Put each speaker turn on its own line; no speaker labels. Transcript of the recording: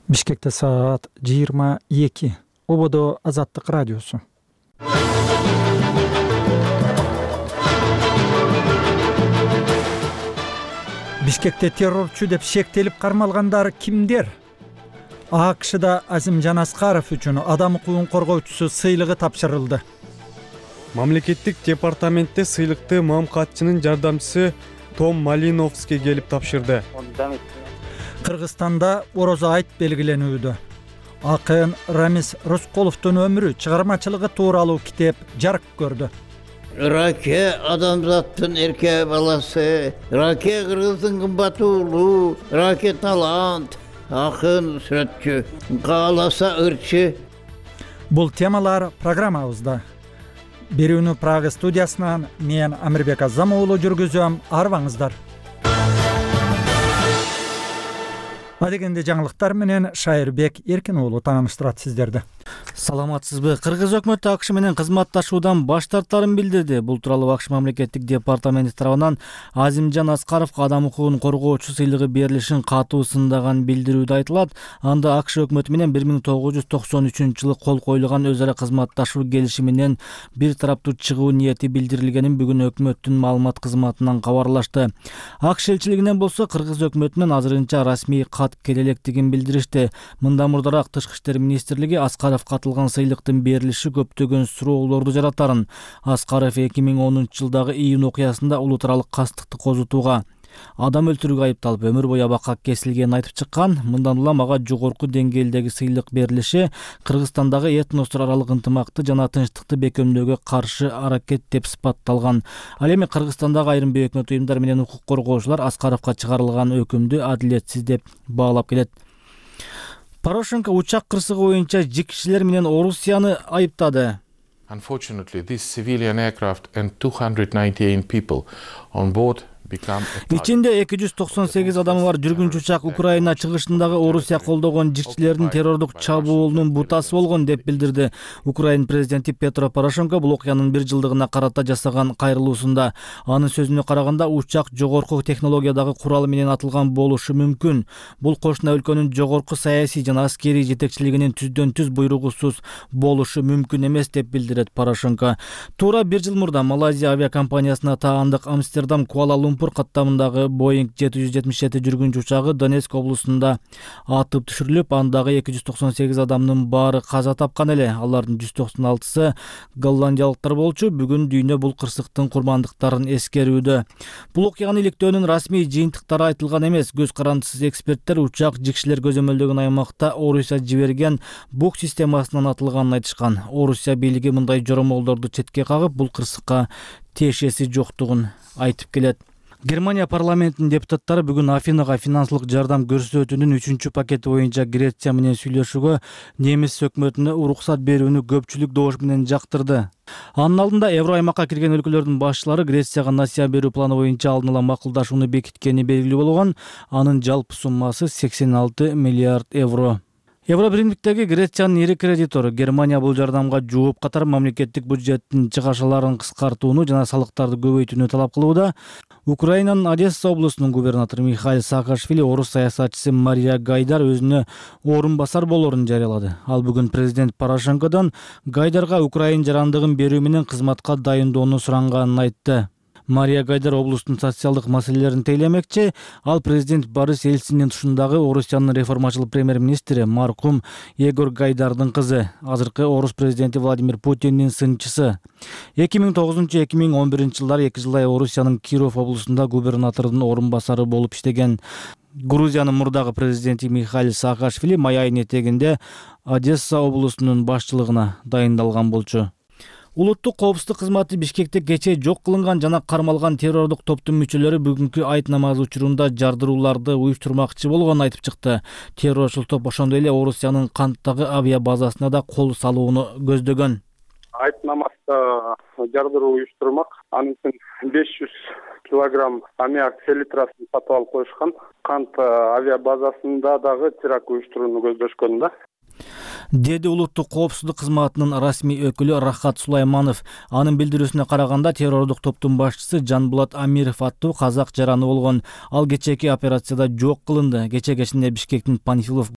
Бишкекте саат 22. Ободо Азаттык радиосу. Бишкекте террорчу деп шектелип кармалгандар кимдер? АКШда Азимжан Аскаров үчүн адам укугун коргоочусу сыйлыгы тапшырылды.
Мамлекеттик департаментте сыйлыкты МКАТчынын жардамчысы Том Малиновский келип тапшырды.
Кыргызстанда орозо айт белгиленүүдө. Акын Рамис Рысколовдун өмүрү, чыгармачылыгы тууралуу китеп жарык көрдү.
Раке адамзаттын эрке баласы, Раке кыргыздын кымбат уулу, Раке талант, акын сүрөтчү, кааласа ырчы.
Бул темалар программабызда. Берүүнү Прага студиясынан мен Амирбек Азам уулу жүргүзөм. Арбаңыздар. Адегенде жаңылыктар менен Шайырбек Эркин уулу тааныштырат сиздерди.
Саламатсызбы? Кыргыз өкмөтү АКШ менен кызматташуудан баш тартаарын билдирди. Бул тууралуу АКШ мамлекеттик департаменти тарабынан Азимжан Аскаровго адам укугун коргоочу сыйлыгы берилишин катуу сындаган билдирүүдө айтылат. Анда АКШ өкмөтү менен 1993-жылы кол коюлган өз ара кызматташуу келишиминен бир тараптуу чыгуу ниети билдирилгенин бүгүн өкмөттүн маалымат кызматынан кабарлашты. АКШ элчилигинен болсо кыргыз өкмөтүнөн азырынча расмий кат келе электигин билдиришти. Мындан мурдараак Тышкы иштер министрлиги Аскаров катылган сыйлыктын берилиши көптөгөн суроолорду жаратарын. Аскаров 2010-жылдагы июнь окуясында улуттаралык кастыкты козутууга, адам өлтүрүүгө айыпталып өмүр бою абакка кесилгенин айтып чыккан. Мындан улам ага жогорку деңгээлдеги сыйлык берилиши Кыргызстандагы этностор аралык ынтымакты жана тынчтыкты бекемдөөгө каршы аракет деп сыпатталган. Ал эми Кыргызстандагы айрым бейөкмөт уюмдар менен укук коргоочулар Аскаровго чыгарылган өкүмдү адилетсиз деп баалап келет. Порошенко учак кырсыгы боюнча жикчилер менен Орусияны айыптады.
Unfortunately, this civilian aircraft and 298 people on board
Ичинде 298 адамы бар жүргүнчү учак Украина чыгышындагы Орусия колдогон жикчилердин террордук чабуулунун бутасы болгон деп билдирди Украина президенти Петро Порошенко бул окуянын 1 жылдыгына карата жасаган кайрылуусунда. Анын сөзүнө караганда учак жогорку технологиядагы курал менен атылган болушу мүмкүн. Бул кошуна өлкөнүн жогорку саясий жана аскерий жетекчилигинин түздөн түз буйругусуз болушу мүмкүн эмес деп билдирет Порошенко. Туура 1 жыл мурда Малайзия авиакомпаниясына таандык Амстердам Куала-Лумпур каттамындагы Boeing 777 жүргүнчү учагы Донецк облусунда атып түшүрүлүп, андагы 298 адамдын баары каза тапкан эле. Алардын 196-сы голландиялыктар болчу. Бүгүн дүйнө бул кырсыктын курмандыктарын эскерүүдө. Бул окуяны иликтөөнүн расмий жыйынтыктары айтылган эмес. Көз карандысыз эксперттер учак жикшилер көзөмөлдөгөн аймакта Орусия жиберген бук системасынан атылганын айтышкан. Орусия бийлиги мындай жоромолдорду четке кагып, бул кырсыкка тиешеси жоктугун айтып келет. Германия парламентинин депутаттары бүгүн Афинага финансылык жардам көрсөтүүнүн 3-чү пакети боюнча Греция менен сүйлөшүүгө немис өкмөтүнө уруксат берүүнү көпчүлүк добуш менен жактырды. Анын алдында евро аймакка кирген өлкөлөрдүн башчылары Грецияга насыя берүү планы боюнча алдын ала макулдашууну бекиткени белгилүү болгон. Анын жалпы суммасы 86 миллиард евро. Евробиримдиктеги Грециянын ири кредитору Германия бул жардамга жооп катар мамлекеттик бюджеттин чыгашаларын кыскартууну жана салыктарды көбөйтүүнү талап кылууда. Украинанын Одесса облусунун губернатору Михаил Саакашвили орус саясатчысы Мария Гайдар өзүнө орун басар болоорун жарыялады. Ал бүгүн президент Порошенкодон Гайдарга Украина жарандыгын берүү менен кызматка дайындоону суранганын айтты. Мария Гайдар облустун социалдык маселелерин тейлемекчи. Ал президент Борис Ельциндин тушундагы Орусиянын реформачыл премьер-министри маркум Егор Гайдардын кызы, азыркы орус президенти Владимир Путиндин сынчысы. 2009-2011 жылдары 2 жылдай Орусиянын Киров облусунда губернатордун орун басары болуп иштеген. Грузиянын мурдагы президенти Михаил Саакашвили май айынын этегинде Одесса облусунун башчылыгына дайындалган болчу. Улуттук коопсуздук кызматы Бишкекте кечээ жок кылынган жана кармалган террордук топтун мүчөлөрү бүгүнкү айт намазы учурунда жардырууларды уюштурмакчы болгонун айтып чыкты. Террорчул топ ошондой эле Орусиянын Канттагы авиа базасына да кол салууну көздөгөн.
Айт намазда жардыруу уюштурмак. Анын үчүн 500 килограмм аммиак селитрасын сатып алып коюшкан. Кант авиа базасында дагы теракт уюштурууну көздөшкөн да.
деди улуттук коопсуздук кызматынын расмий өкүлү Рахат Сулайманов. Анын билдирүүсүнө караганда террордук топтун башчысы Жанбулат Амиров аттуу казак жараны болгон. Ал кечээки операцияда жок кылынды. Кече кечинде Бишкектин Панфилов